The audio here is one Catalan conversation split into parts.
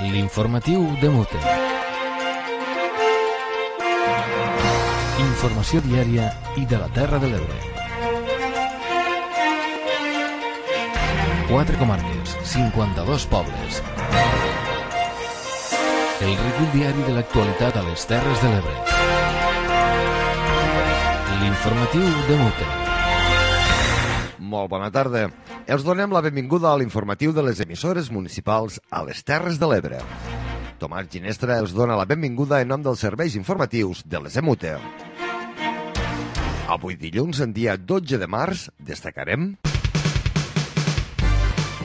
L'informatiu de Mute. Informació diària i de la Terra de l'Ebre. 4 comarques, 52 pobles. El recull diari de l'actualitat a les Terres de l'Ebre. L'informatiu de Mute. Molt bona tarda. Els donem la benvinguda a l'informatiu de les emissores municipals a les Terres de l'Ebre. Tomàs Ginestra els dona la benvinguda en nom dels serveis informatius de les EMUTE. Avui dilluns, en dia 12 de març, destacarem...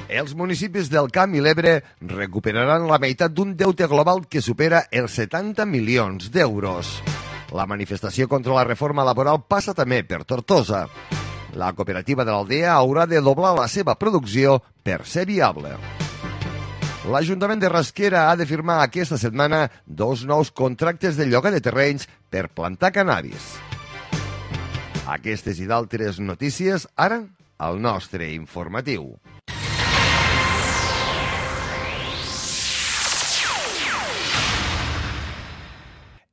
Els municipis del Camp i l'Ebre recuperaran la meitat d'un deute global que supera els 70 milions d'euros. La manifestació contra la reforma laboral passa també per Tortosa. La cooperativa de l'Aldea haurà de doblar la seva producció per ser viable. L'Ajuntament de Rasquera ha de firmar aquesta setmana 2 nous contractes de lloguer de terrenys per plantar cannabis. Aquestes i d'altres notícies, ara, al nostre informatiu.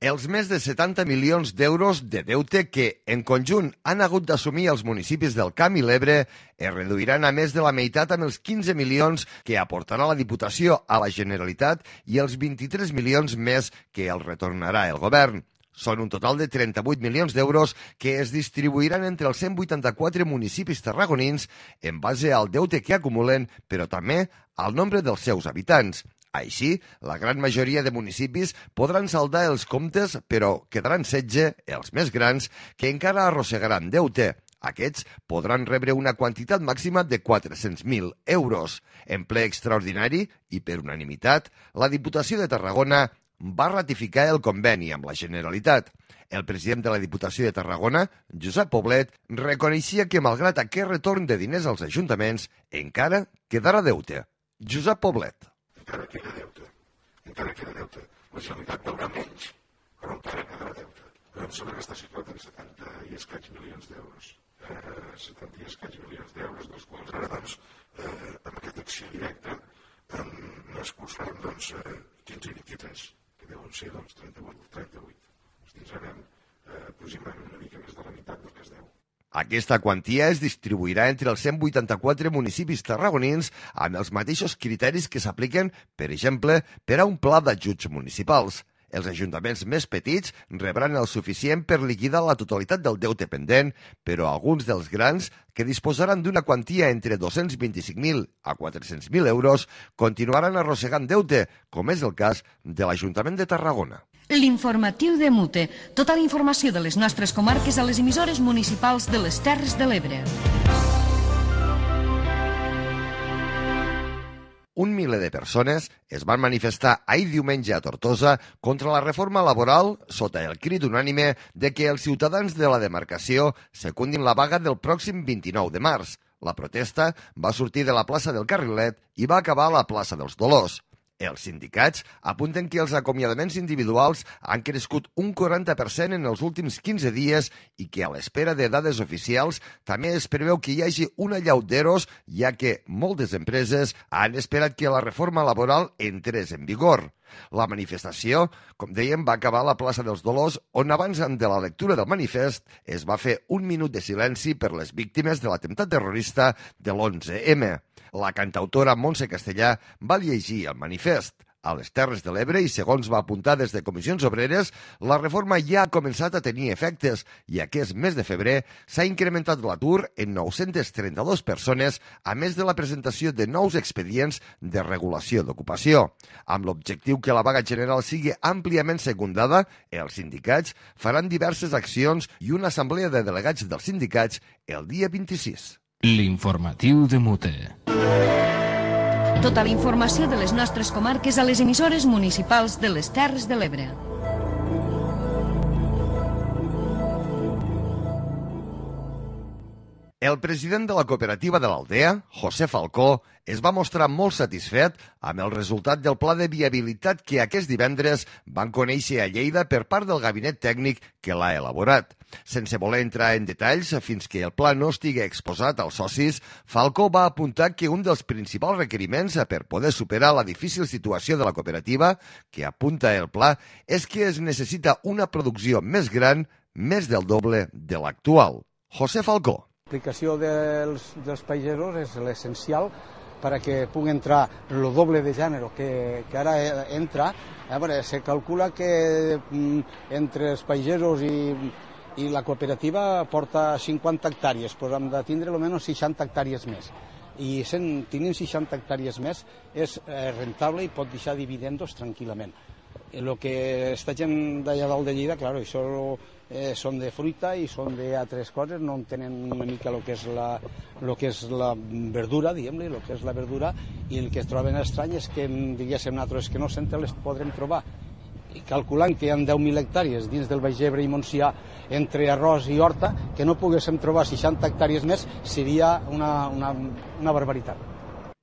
Els més de 70 milions d'euros de deute que, en conjunt, han hagut d'assumir els municipis del Camp i l'Ebre es reduiran a més de la meitat amb els 15 milions que aportarà la Diputació a la Generalitat i els 23 milions més que el retornarà el govern. Són un total de 38 milions d'euros que es distribuiran entre els 184 municipis tarragonins en base al deute que acumulen, però també al nombre dels seus habitants. Així, la gran majoria de municipis podran saldar els comptes, però quedaran 16, els més grans, que encara arrossegaran deute. Aquests podran rebre una quantitat màxima de 400.000 euros. En ple extraordinari i per unanimitat, la Diputació de Tarragona va ratificar el conveni amb la Generalitat. El president de la Diputació de Tarragona, Josep Poblet, reconeixia que, malgrat aquest retorn de diners als ajuntaments, encara quedarà deute. Josep Poblet. Encara queda deute. La Generalitat veurà menys, però encara quedarà deute. Em sembla que està situat en 70 i escaig milions d'euros. 70 i escaig milions d'euros, dels quals ara, doncs, amb aquesta acció directa, n'expulsarem, 15 i 23, que deuen ser, 38. Ens tindrem aproximadament una mica més de la meitat del que es deu. Aquesta quantia es distribuirà entre els 184 municipis tarragonins amb els mateixos criteris que s'apliquen, per exemple, per a un pla d'ajuts municipals. Els ajuntaments més petits rebran el suficient per liquidar la totalitat del deute pendent, però alguns dels grans, que disposaran d'una quantia entre 225.000 a 400.000 euros, continuaran arrossegant deute, com és el cas de l'Ajuntament de Tarragona. L'informatiu de Mute. Tota la informació de les nostres comarques a les emissores municipals de les Terres de l'Ebre. Un miler de persones es van manifestar ahir diumenge a Tortosa contra la reforma laboral sota el crit unànime de que els ciutadans de la demarcació secundin la vaga del pròxim 29 de març. La protesta va sortir de la plaça del Carrilet i va acabar a la plaça dels Dolors. Els sindicats apunten que els acomiadaments individuals han crescut un 40% en els últims 15 dies i que a l'espera de dades oficials també es preveu que hi hagi una allau d'eros, ja que moltes empreses han esperat que la reforma laboral entrés en vigor. La manifestació, com dèiem, va acabar a la plaça dels Dolors, on abans de la lectura del manifest es va fer un minut de silenci per les víctimes de l'atemptat terrorista de l'11M. La cantautora Montse Castellà va llegir el manifest. A les Terres de l'Ebre, i segons va apuntar des de Comissions Obreres, la reforma ja ha començat a tenir efectes i aquest mes de febrer s'ha incrementat l'atur en 932 persones, a més de la presentació de nous expedients de regulació d'ocupació. Amb l'objectiu que la vaga general sigui àmpliament secundada, els sindicats faran diverses accions i una assemblea de delegats dels sindicats el dia 26. L'informatiu de Mute. Tota la informació de les nostres comarques a les emissores municipals de les Terres de l'Ebre. El president de la cooperativa de l'Aldea, José Falcó, es va mostrar molt satisfet amb el resultat del pla de viabilitat que aquest divendres van conèixer a Lleida per part del gabinet tècnic que l'ha elaborat. Sense voler entrar en detalls fins que el pla no estigui exposat als socis, Falcó va apuntar que un dels principals requeriments per poder superar la difícil situació de la cooperativa, que apunta el pla, és que es necessita una producció més gran, més del doble de l'actual. José Falcó. L'aplicació dels pagesos és l'essencial perquè pugui entrar el doble de gènere que ara entra. Se calcula que entre els pagesos i la cooperativa porta 50 hectàrees, doncs hem de tindre almenys 60 hectàrees més. I tenint 60 hectàrees més és rentable i pot deixar dividendos tranquil·lament. El que està gent d'allà dalt de Lleida, clar, això són de fruita i són d'altres coses, no entenen una mica el que és la verdura, diguem-li, el que és la verdura, i el que es troben estrany és que, diguéssim, nosaltres que no sempre les podrem trobar. I calculant que hi ha 10.000 hectàrees dins del Baix Ebre i Montsià entre arròs i horta, que no poguéssim trobar 60 hectàrees més seria una barbaritat.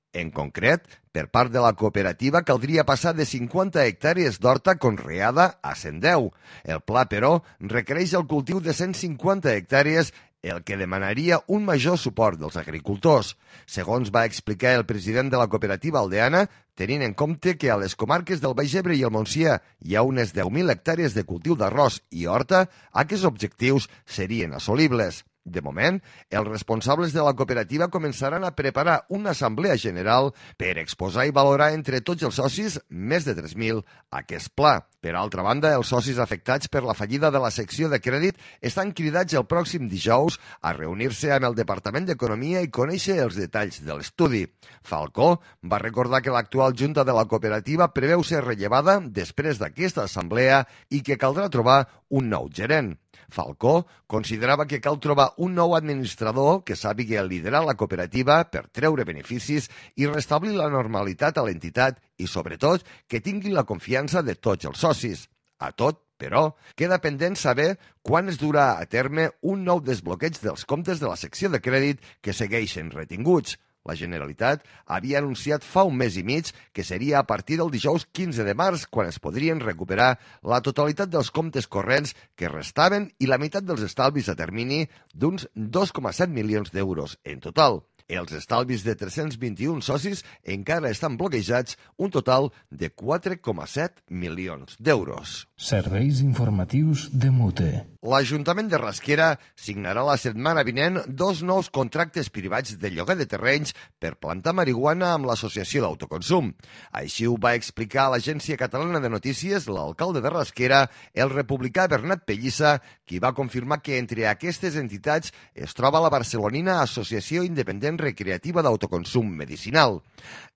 En concret, per part de la cooperativa caldria passar de 50 hectàrees d'horta conreada a 110. El pla, però, requereix el cultiu de 150 hectàrees, el que demanaria un major suport dels agricultors. Segons va explicar el president de la cooperativa aldeana, tenint en compte que a les comarques del Baix Ebre i el Montsià hi ha unes 10.000 hectàrees de cultiu d'arròs i horta, aquests objectius serien assolibles. De moment, els responsables de la cooperativa començaran a preparar una assemblea general per exposar i valorar entre tots els socis, més de 3.000, aquest pla. Per altra banda, els socis afectats per la fallida de la secció de crèdit estan cridats el pròxim dijous a reunir-se amb el Departament d'Economia i conèixer els detalls de l'estudi. Falcó va recordar que l'actual junta de la cooperativa preveu ser rellevada després d'aquesta assemblea i que caldrà trobar un nou gerent. Falcó considerava que cal trobar un nou administrador que sàpiga liderar la cooperativa per treure beneficis i restablir la normalitat a l'entitat i, sobretot, que tingui la confiança de tots els socis. A tot, però, queda pendent saber quan es durà a terme un nou desbloqueig dels comptes de la secció de crèdit que segueixen retinguts. La Generalitat havia anunciat fa un mes i mig que seria a partir del dijous 15 de març quan es podrien recuperar la totalitat dels comptes corrents que restaven i la meitat dels estalvis a termini d'uns 2,7 milions d'euros en total. Els estalvis de 321 socis encara estan bloquejats, un total de 4,7 milions d'euros. Serveis informatius de Mute. L'Ajuntament de Rasquera signarà la setmana vinent 2 nous contractes privats de lloguer de terrenys per plantar marihuana amb l'Associació d'Autoconsum. Així ho va explicar a l'Agència Catalana de Notícies l'alcalde de Rasquera, el republicà Bernat Pellissa, qui va confirmar que entre aquestes entitats es troba la barcelonina Associació Independent Recreativa d'Autoconsum Medicinal.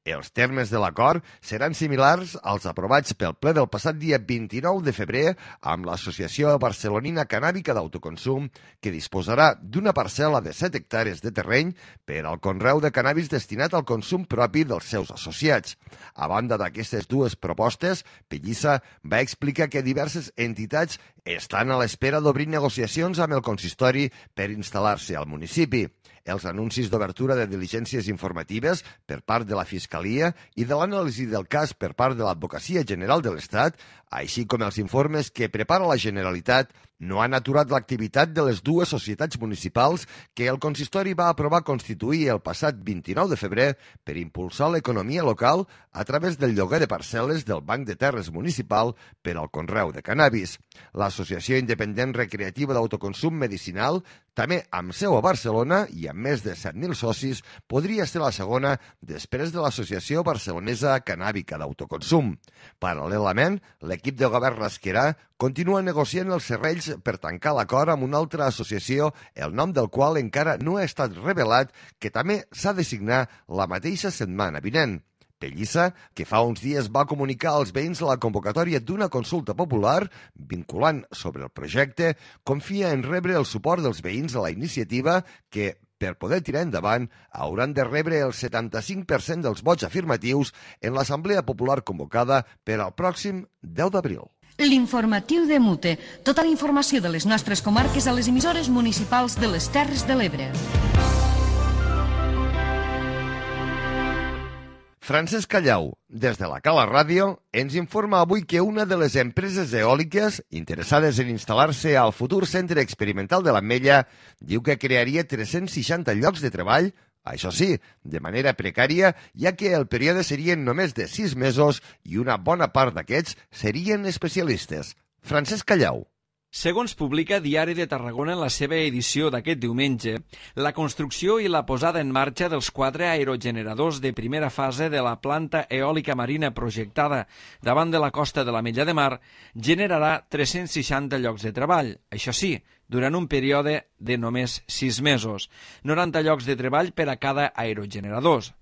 Els termes de l'acord seran similars als aprovats pel ple del passat dia 29 de febrer amb l'Associació Barcelonina Cannàbica d'Autoconsum, que disposarà d'una parcel·la de 7 hectàrees de terreny per al conreu de cannabis destinat al consum propi dels seus associats. A banda d'aquestes dues propostes, Pellissa va explicar que diverses entitats estan a l'espera d'obrir negociacions amb el consistori per instal·lar-se al municipi. Els anuncis d'obertura de diligències informatives per part de la Fiscalia i de l'anàlisi del cas per part de l'Advocacia General de l'Estat, així com els informes que prepara la Generalitat, no han aturat l'activitat de les dues societats municipals que el consistori va aprovar constituir el passat 29 de febrer per impulsar l'economia local a través del lloguer de parcel·les del Banc de Terres Municipal per al conreu de cannabis. L'Associació Independent Recreativa d'Autoconsum Medicinal, també amb seu a Barcelona i amb més de 7.000 socis, podria ser la segona després de l'Associació Barcelonesa Cannàbica d'Autoconsum. Paral·lelament, l'equip de govern rasquerà continua negociant els serrells per tancar l'acord amb una altra associació, el nom del qual encara no ha estat revelat, que també s'ha de signar la mateixa setmana vinent. Pellissa, que fa uns dies va comunicar als veïns la convocatòria d'una consulta popular vinculant sobre el projecte, confia en rebre el suport dels veïns a la iniciativa que, per poder tirar endavant, hauran de rebre el 75% dels vots afirmatius en l'Assemblea Popular convocada per al pròxim 10 d'abril. L'informatiu de Mute. Tota la informació de les nostres comarques a les emissores municipals de les Terres de l'Ebre. Francesc Callau, des de la Cala Ràdio, ens informa avui que una de les empreses eòliques interessades en instal·lar-se al futur centre experimental de l'Ametlla diu que crearia 360 llocs de treball, això sí, de manera precària, ja que el període serien només de 6 mesos i una bona part d'aquests serien especialistes. Francesc Callau. Segons publica Diari de Tarragona en la seva edició d'aquest diumenge, la construcció i la posada en marxa dels 4 aerogeneradors de primera fase de la planta eòlica marina projectada davant de la costa de l'Ametlla de Mar generarà 360 llocs de treball, això sí, durant un període de només 6 mesos, 90 llocs de treball per a cada aerogenerador.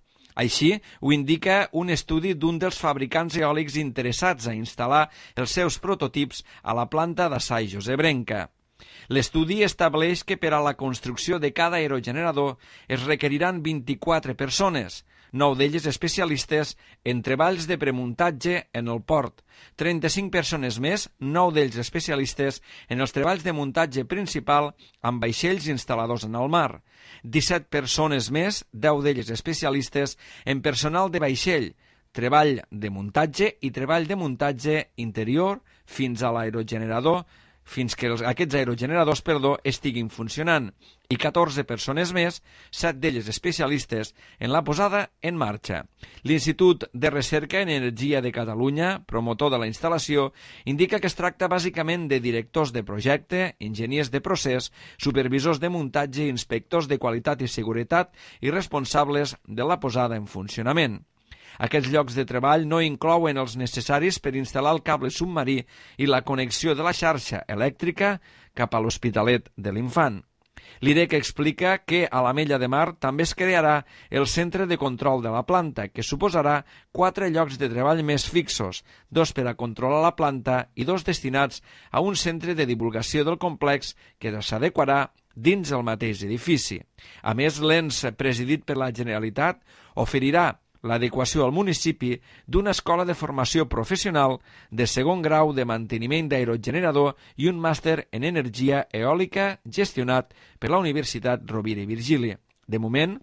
Així ho indica un estudi d'un dels fabricants eòlics interessats a instal·lar els seus prototips a la planta d'Assai Josebrenca. L'estudi estableix que per a la construcció de cada aerogenerador es requeriran 24 persones, 9 d'elles especialistes en treballs de premuntatge en el port, 35 persones més, 9 d'ells especialistes en els treballs de muntatge principal amb vaixells instal·ladors en el mar, 17 persones més, 10 d'elles especialistes en personal de vaixell, treball de muntatge i treball de muntatge interior fins a l'aerogenerador, fins que aquests aerogeneradors estiguin funcionant, i 14 persones més, 7 d'elles especialistes en la posada en marxa. L'Institut de Recerca en Energia de Catalunya, promotor de la instal·lació, indica que es tracta bàsicament de directors de projecte, enginyers de procés, supervisors de muntatge, inspectors de qualitat i seguretat i responsables de la posada en funcionament. Aquests llocs de treball no inclouen els necessaris per instal·lar el cable submarí i la connexió de la xarxa elèctrica cap a l'Hospitalet de l'Infant. L'IREC explica que a l'Ametlla de Mar també es crearà el centre de control de la planta, que suposarà 4 llocs de treball més fixos, 2 per a controlar la planta i 2 destinats a un centre de divulgació del complex que s'adequarà dins el mateix edifici. A més, l'ENS, presidit per la Generalitat, oferirà l'adequació al municipi d'una escola de formació professional de segon grau de manteniment d'aerogenerador i un màster en energia eòlica gestionat per la Universitat Rovira i Virgili. De moment,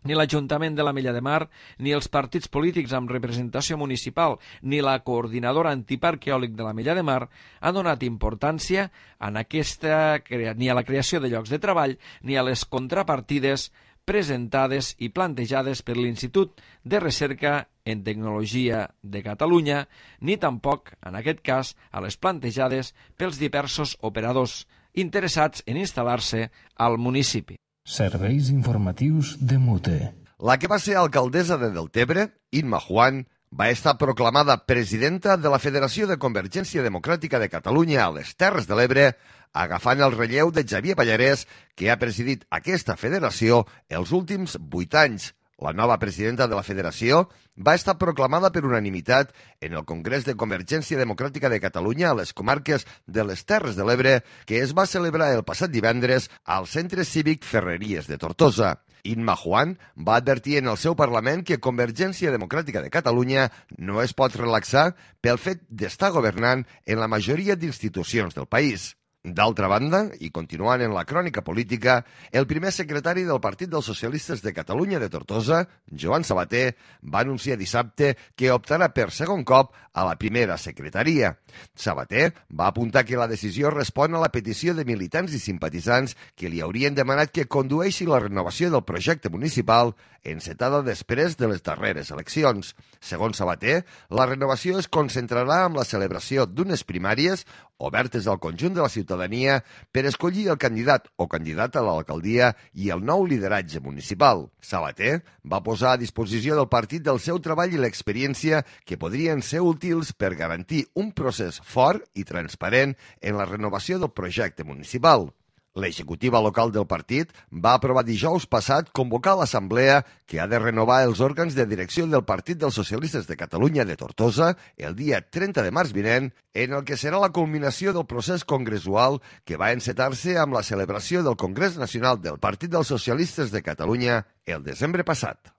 ni l'Ajuntament de l'Ametlla de Mar, ni els partits polítics amb representació municipal, ni la coordinadora antiparc eòlic de l'Ametlla de Mar han donat importància ni a la creació de llocs de treball ni a les contrapartides presentades i plantejades per l'Institut de Recerca en Tecnologia de Catalunya, ni tampoc, en aquest cas, a les plantejades pels diversos operadors interessats en instal·lar-se al municipi. Serveis informatius de MUTE. La que va ser alcaldessa de Deltebre, Imma Juan, va estar proclamada presidenta de la Federació de Convergència Democràtica de Catalunya a les Terres de l'Ebre, agafant el relleu de Xavier Pallarès, que ha presidit aquesta federació els últims 8 anys. La nova presidenta de la federació va estar proclamada per unanimitat en el Congrés de Convergència Democràtica de Catalunya a les comarques de les Terres de l'Ebre, que es va celebrar el passat divendres al Centre Cívic Ferreries de Tortosa. Imma Juan va advertir en el seu Parlament que Convergència Democràtica de Catalunya no es pot relaxar pel fet d'estar governant en la majoria d'institucions del país. D'altra banda, i continuant en la crònica política, el primer secretari del Partit dels Socialistes de Catalunya de Tortosa, Joan Sabater, va anunciar dissabte que optarà per segon cop a la primera secretaria. Sabater va apuntar que la decisió respon a la petició de militants i simpatitzants que li haurien demanat que condueixi la renovació del projecte municipal encetada després de les darreres eleccions. Segons Sabater, la renovació es concentrarà en la celebració d'unes primàries obertes al conjunt de la ciutadania per escollir el candidat o candidata a l'alcaldia i el nou lideratge municipal. Sabater va posar a disposició del partit del seu treball i l'experiència que podrien ser útils per garantir un procés fort i transparent en la renovació del projecte municipal. L'executiva local del partit va aprovar dijous passat convocar l'assemblea que ha de renovar els òrgans de direcció del Partit dels Socialistes de Catalunya de Tortosa el dia 30 de març vinent, en el que serà la culminació del procés congressual que va encetar-se amb la celebració del Congrés Nacional del Partit dels Socialistes de Catalunya el desembre passat.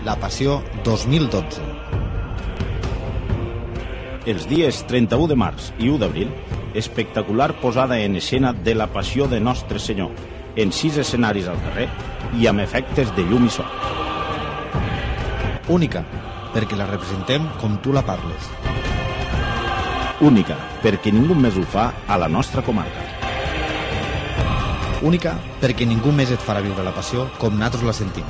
La Passió 2012. els dies 31 de març i 1 d'abril, espectacular posada en escena de la Passió de Nostre Senyor, en 6 escenaris al carrer i amb efectes de llum i so. Única, perquè la representem com tu la parles. Única, perquè ningú més ho fa a la nostra comarca. Única, perquè ningú més et farà viure la passió com nosaltres la sentim.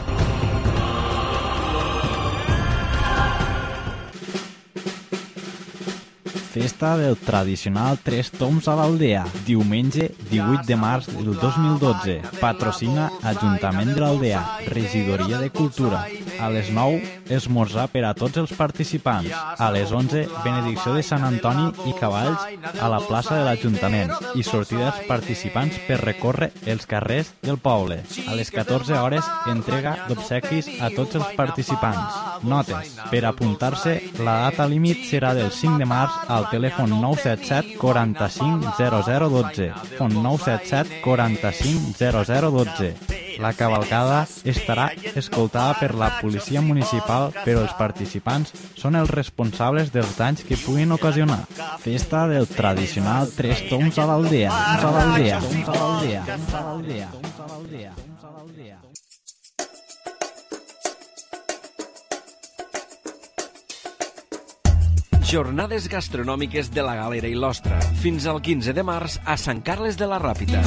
Festa del tradicional Tres Toms a l'Aldea, diumenge 18 de març del 2012. Patrocina Ajuntament de l'Aldea, Regidoria de Cultura. A les 9, esmorzar per a tots els participants. A les 11, benedicció de Sant Antoni i cavalls a la plaça de l'Ajuntament i sortida dels participants per recórrer els carrers del poble. A les 14 hores, entrega d'obsequis a tots els participants. Notes. Per apuntar-se, la data límit serà del 5 de març al telèfon 977 45 0012. Telèfon 977 45 0012. La cavalcada estarà escoltada per la policia municipal, però els participants són els responsables dels danys que puguin ocasionar. Festa del tradicional Tres Toms a l'Aldea. Jornades gastronòmiques de la Galera i l'Ostra, fins al 15 de març a Sant Carles de la Ràpita.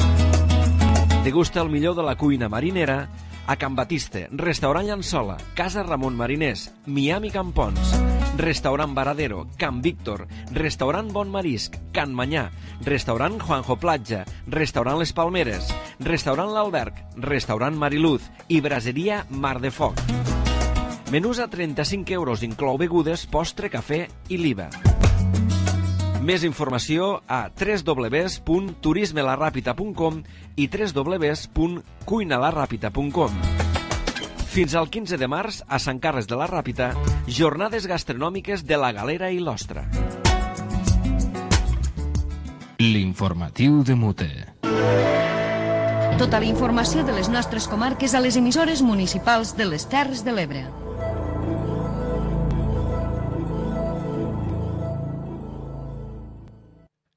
Degusta el millor de la cuina marinera a Can Batiste, Restaurant Llançola, Casa Ramon Mariners, Miami Campons, Restaurant Varadero, Can Víctor, Restaurant Bon Marisc, Can Manyà, Restaurant Juanjo Platja, Restaurant Les Palmeres, Restaurant L'Alberg, Restaurant Mariluz i Braseria Mar de Foc. Menús a 35 euros, inclou begudes, postre, cafè i l'IVA. Més informació a www.turismelarrapita.com i www.cuinalarrapita.com. Fins al 15 de març, a Sant Carles de la Ràpita, jornades gastronòmiques de la Galera i l'Ostra. L'informatiu de Mute. Tota la informació de les nostres comarques a les emissores municipals de les Terres de l'Ebre.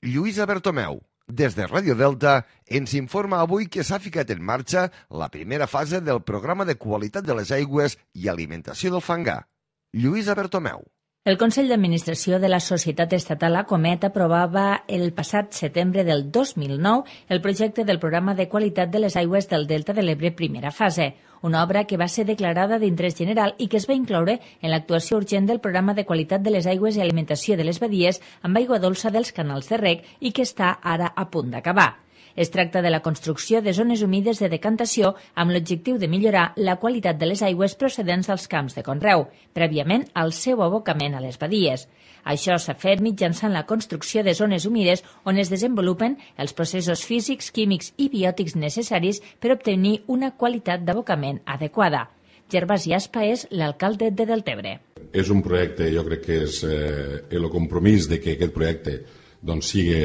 Lluïsa Bertomeu, des de Ràdio Delta, ens informa avui que s'ha ficat en marxa la primera fase del programa de qualitat de les aigües i alimentació del fangar. Lluïsa Bertomeu. El Consell d'Administració de la Societat Estatal Acomet aprovava el passat setembre del 2009 el projecte del Programa de Qualitat de les Aigües del Delta de l'Ebre primera fase, una obra que va ser declarada d'interès general i que es va incloure en l'actuació urgent del Programa de Qualitat de les Aigües i Alimentació de les Badies amb aigua dolça dels canals de reg i que està ara a punt d'acabar. Es tracta de la construcció de zones humides de decantació amb l'objectiu de millorar la qualitat de les aigües procedents dels camps de conreu, prèviament al seu abocament a les badies. Això s'ha fet mitjançant la construcció de zones humides on es desenvolupen els processos físics, químics i biòtics necessaris per obtenir una qualitat d'abocament adequada. Gervasi Aspa és l'alcalde de Deltebre. És un projecte, jo crec que és el compromís de que aquest projecte sigui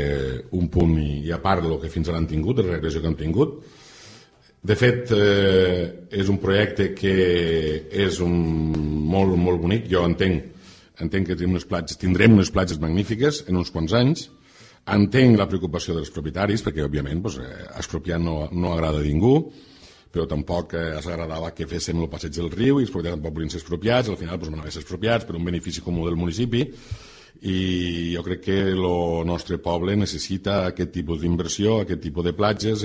un punt i a part del que fins ara han tingut, de la regressió que han tingut. De fet, és un projecte que és molt bonic. Jo entenc que tindrem unes platges magnífiques en uns quants anys. Entenc la preocupació dels propietaris, perquè, òbviament, expropiar no agrada a ningú, però tampoc ens agradava que féssim el passeig del riu i els propietaris tampoc volien ser expropiats. Al final van haver ser expropiats per un benefici comú del municipi. I jo crec que el nostre poble necessita aquest tipus d'inversió, aquest tipus de platges,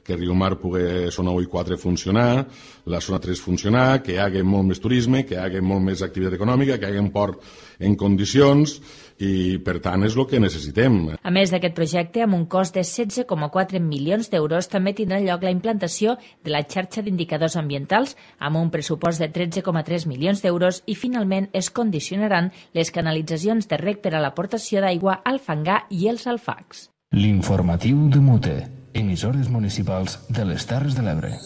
que Riumar pugui zona 1 i 4 funcionar, la zona 3 funcionar, que hi hagi molt més turisme, que hi hagi molt més activitat econòmica, que hi hagi un port en condicions i, per tant, és el que necessitem. A més d'aquest projecte, amb un cost de 16,4 milions d'euros, també tindrà lloc la implantació de la xarxa d'indicadors ambientals amb un pressupost de 13,3 milions d'euros i, finalment, es condicionaran les canalitzacions de reg per a l'aportació d'aigua al fangar i els alfacs. L'informatiu de Mute, emissores municipals de les Terres de l'Ebre.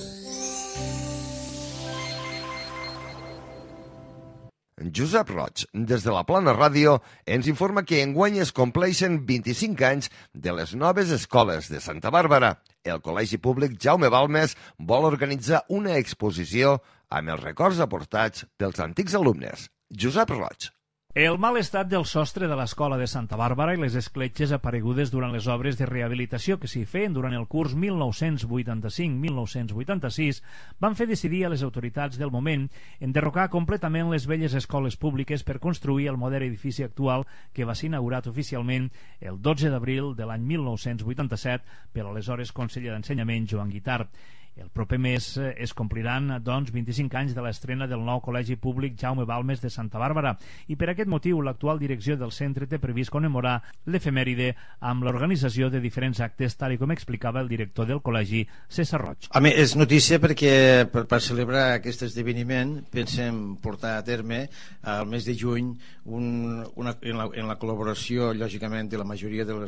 Josep Roig, des de la Plana Ràdio, ens informa que enguany es compleixen 25 anys de les noves escoles de Santa Bàrbara. El Col·legi Públic Jaume Balmes vol organitzar una exposició amb els records aportats pels antics alumnes. Josep Roig. El mal estat del sostre de l'escola de Santa Bàrbara i les escletxes aparegudes durant les obres de rehabilitació que s'hi feien durant el curs 1985-1986 van fer decidir a les autoritats del moment enderrocar completament les velles escoles públiques per construir el modern edifici actual que va ser inaugurat oficialment el 12 d'abril de l'any 1987 per l'aleshores conseller d'Ensenyament Joan Guitart. El proper mes es compliran, doncs, 25 anys de l'estrena del nou Col·legi Públic Jaume Balmes de Santa Bàrbara i per aquest motiu l'actual direcció del centre té previst commemorar l'efemèride amb l'organització de diferents actes, tal com explicava el director del col·legi, César Roig. A mi és notícia perquè per celebrar aquest esdeveniment pensem portar a terme al mes de juny en la col·laboració, lògicament, de la majoria de la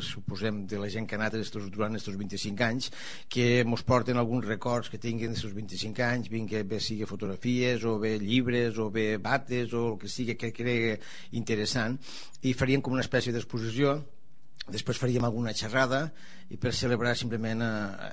gent que ha anat durant aquests 25 anys, que ens porten alguns records que tinguin els seus 25 anys, bé sigui fotografies o bé llibres o bé bates o el que sigui que cregui interessant, i faríem com una espècie d'exposició. Després faríem alguna xerrada i per celebrar simplement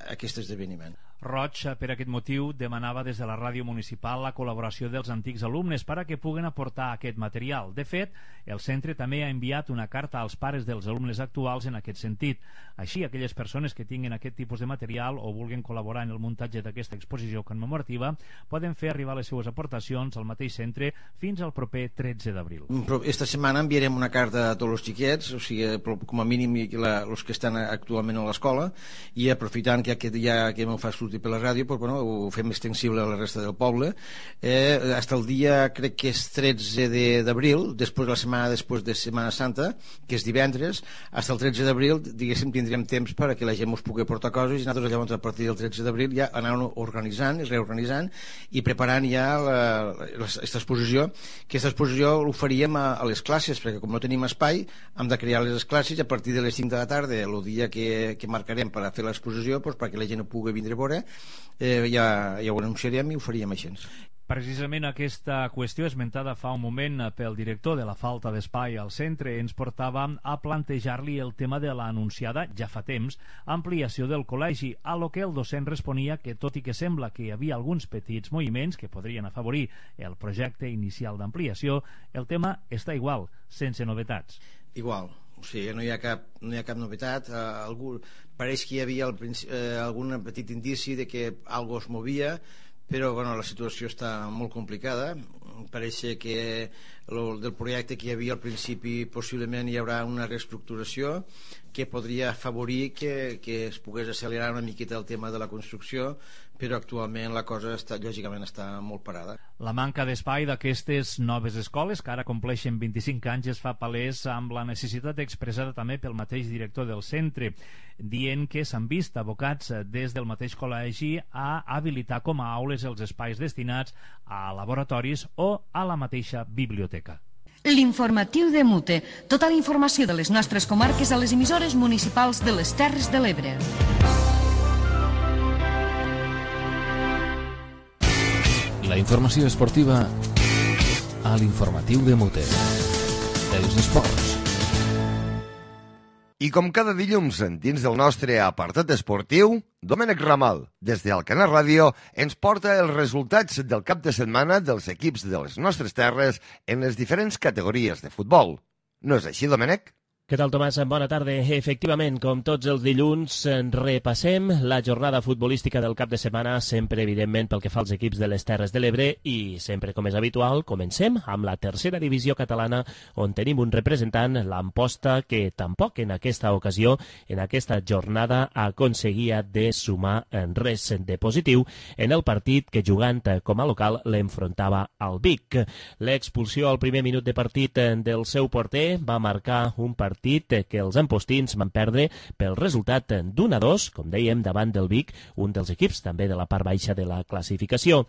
aquest esdeveniment. Roig, per aquest motiu, demanava des de la ràdio municipal la col·laboració dels antics alumnes per a que puguen aportar aquest material. De fet, el centre també ha enviat una carta als pares dels alumnes actuals en aquest sentit. Així, aquelles persones que tinguin aquest tipus de material o vulguin col·laborar en el muntatge d'aquesta exposició commemorativa poden fer arribar les seues aportacions al mateix centre fins al proper 13 d'abril. Esta setmana enviarem una carta a tots els xiquets, o sigui, com a mínim els que estan actualment a l'escola, i aprofitant que ja m'ho fa sortir per la ràdio, doncs, bueno, ho fem extensible a la resta del poble. Fins el dia, crec que és 13 d'abril, després la setmana després de Setmana Santa, que és divendres, fins el 13 d'abril, diguéssim, tindrem temps perquè la gent us pugui portar coses i nosaltres llavors a partir del 13 d'abril ja anàvem organitzant i reorganitzant i preparant ja aquesta exposició, que aquesta exposició ho faríem a les classes, perquè com no tenim espai hem de crear les classes a partir de les 5 de la tarda, el dia que marcarem per a fer l'exposició, doncs, perquè la gent ho pugui vindre a veure, ja ho anunciarem i ho faríem així. Precisament aquesta qüestió esmentada fa un moment pel director de la falta d'espai al centre ens portava a plantejar-li el tema de l'anunciada, ja fa temps, ampliació del col·legi, a lo que el docent responia que tot i que sembla que hi havia alguns petits moviments que podrien afavorir el projecte inicial d'ampliació, el tema està igual, sense novetats. Igual. O sigui, no hi ha cap novetat. Pareix que hi havia algun petit indici de que algo es movia, però bueno, la situació està molt complicada. Pareix que del projecte que hi havia al principi possiblement hi haurà una reestructuració que podria afavorir que es pogués accelerar una miqueta el tema de la construcció, però actualment la cosa lògicament està molt parada. La manca d'espai d'aquestes noves escoles, que ara compleixen 25 anys, es fa palès amb la necessitat expressada també pel mateix director del centre, dient que s'han vist abocats des del mateix col·legi a habilitar com a aules els espais destinats a laboratoris o a la mateixa biblioteca. L'informatiu de Mute. Tota la informació de les nostres comarques a les emissores municipals de les Terres de l'Ebre. La informació esportiva a l'informatiu de Mute. Els esports. I com cada dilluns dins del nostre apartat esportiu, Domènec Ramal, des d'Alcanar Ràdio, ens porta els resultats del cap de setmana dels equips de les nostres terres en les diferents categories de futbol. No és així, Domènec? Què tal, Tomàs? Bona tarda. Efectivament, com tots els dilluns, repassem la jornada futbolística del cap de setmana, sempre, evidentment, pel que fa als equips de les Terres de l'Ebre, i sempre, com és habitual, comencem amb la tercera divisió catalana, on tenim un representant, l'Amposta, que tampoc en aquesta ocasió, en aquesta jornada, aconseguia de sumar en res de positiu en el partit que, jugant com a local, l'enfrontava al Vic. L'expulsió al primer minut de partit del seu porter va marcar un partit que els ampostins van perdre pel resultat d'1-2, com dèiem, davant del Vic, un dels equips també de la part baixa de la classificació.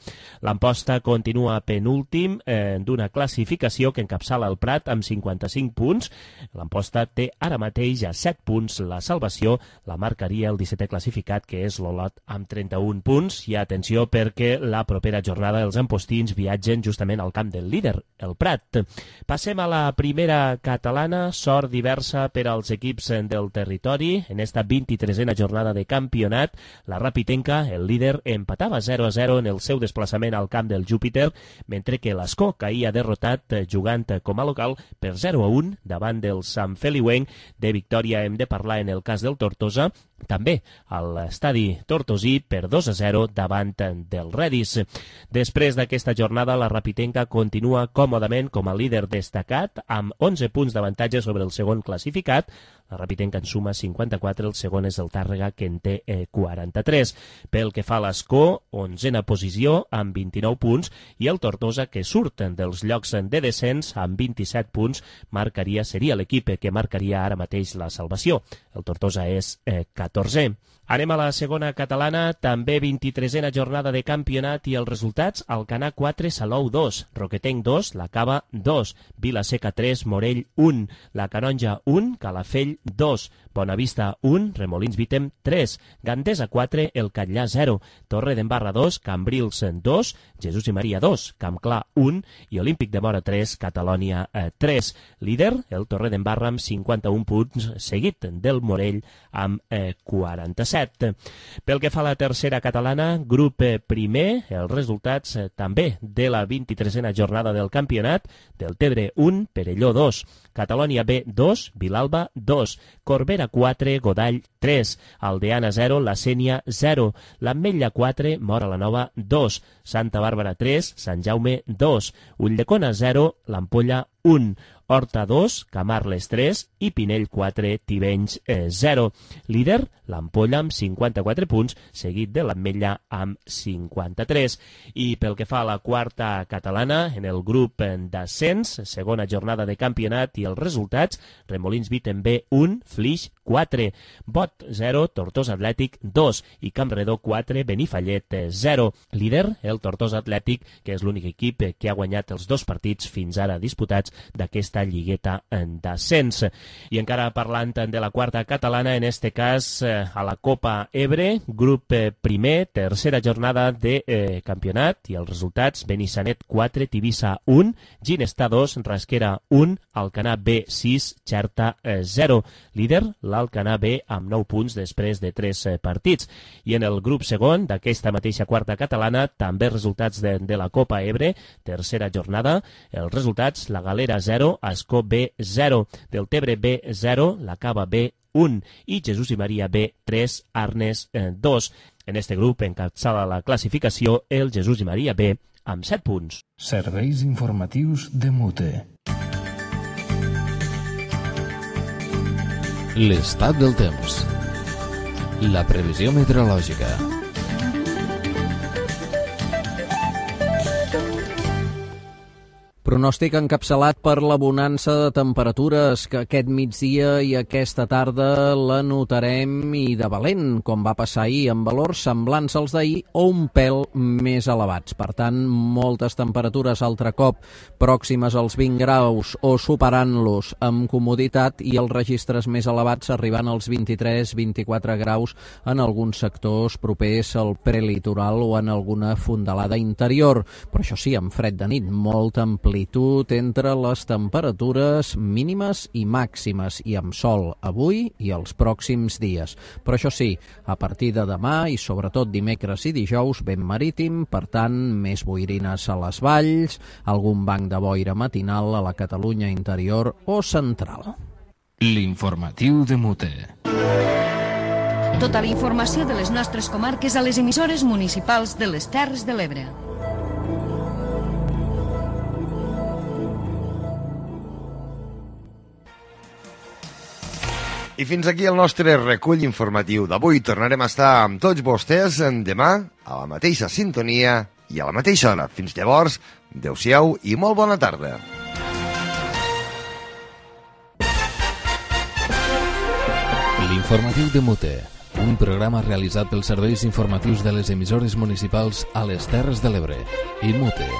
L'Amposta continua penúltim d'una classificació que encapçala el Prat amb 55 punts. L'Amposta té ara mateix a 7 punts. La salvació la marcaria el 17è classificat, que és l'Olot, amb 31 punts. I atenció, perquè la propera jornada els ampostins viatgen justament al camp del líder, el Prat. Passem a la primera catalana. Sort d'hivern viceversa per als equips del territori. En esta 23a jornada de campionat, la Rapitenca, el líder, empatava 0-0 en el seu desplaçament al camp del Júpiter, mentre que l'Ascó caïa derrotat jugant com a local per 0-1 davant del Sant Feliuenc. De victòria hem de parlar en el cas del Tortosa, també a l'estadi tortosí per 2-0 davant del Redis. Després d'aquesta jornada, la Rapitenca continua còmodament com a líder destacat amb 11 punts d'avantatge sobre el segon classificat. La Rapitenca en suma 54, el segon és el Tàrrega, que en té 43. Pel que fa a l'Ascó, 11a posició amb 29 punts, i el Tortosa, que surten dels llocs de descens amb 27 punts, seria l'equip que marcaria ara mateix la salvació. El Tortosa és 14è. Anem a la segona catalana, també 23a jornada de campionat i els resultats: Alcanar 4, Salou 2, Roquetenc 2, La Cava 2, Vilaseca 3, Morell 1, La Canonja 1, Calafell 2, Bonavista 1, Remolins Vítem 3, Gandesa 4, El Catllà 0, Torre d'Embarra 2, Cambrils 2, Jesús i Maria 2, Campclar 1 i Olímpic de Mora 3, Catalònia 3. Líder, el Torre d'Embarra amb 51 punts, seguit del Morell amb 47. Pel que fa a la tercera catalana, grup primer, els resultats també de la 23a jornada del campionat: del Tebre 1, Perelló 2, Catalònia B 2, Vilalba 2, Corbera 4, Godall 3, Aldeana 0, La Sénia 0, l'Ametlla 4, Móra la Nova 2, Santa Bàrbara 3, Sant Jaume 2, Ulldecona 0, l'Ampolla 1, Horta 2, Camarles 3 i Pinell 4, Tivenys 0. Líder, l'Ampolla amb 54 punts, seguit de l'Ametlla amb 53. I pel que fa a la quarta catalana, en el grup d'ascens, segona jornada de campionat i els resultats: Remolins Vítem B 1, Flix 4, Bot 0, Tortosa Atlètic 2 i Campredó 4, Benifallet 0. Líder, el Tortosa Atlètic, que és l'únic equip que ha guanyat els 2 partits fins ara disputats d'aquesta lligueta d'ascens. I encara parlant de la quarta catalana, en este cas a la Copa Ebre, grup primer, tercera jornada de campionat i els resultats: Benissanet 4, Tivissa 1, Ginestà 2, Rasquera 1, Alcanar B 6, Xerta 0. Líder, l'Alcanar B amb 9 punts després de 3 partits. I en el grup segon d'aquesta mateixa quarta catalana, també resultats de la Copa Ebre, tercera jornada, els resultats: la Galera 0, Ascó B 0, del Tebre B 0, la Cava B 1 i Jesús i Maria B 3, Arnes 2. En este grup encapçala la classificació el Jesús i Maria B amb 7 punts. Serveis informatius de Mute. L'estat del temps. La previsió meteorològica. Pronòstic encapçalat per la bonança de temperatures que aquest migdia i aquesta tarda la notarem i de valent, com va passar ahir, amb valors semblants als d'ahir o un pèl més elevats. Per tant, moltes temperatures altre cop pròximes als 20 graus o superant-los amb comoditat, i els registres més elevats arribant als 23-24 graus en alguns sectors propers al prelitoral o en alguna fondalada interior. Però això sí, amb fred de nit, molta amplitud entre les temperatures mínimes i màximes, i amb sol avui i els pròxims dies. Però això sí, a partir de demà i sobretot dimecres i dijous, vent marítim, per tant, més boirines a les valls, algun banc de boira matinal a la Catalunya interior o central. L'informatiu de Mute. Tota la informació de les nostres comarques a les emissores municipals de les Terres de l'Ebre. I fins aquí el nostre recull informatiu d'avui. Tornarem a estar amb tots vostès demà a la mateixa sintonia i a la mateixa hora. Fins llavors, adeu-siau i molt bona tarda. L'informatiu de Mute, un programa realitzat pels serveis informatius de les emissores municipals a les Terres de l'Ebre i Mute.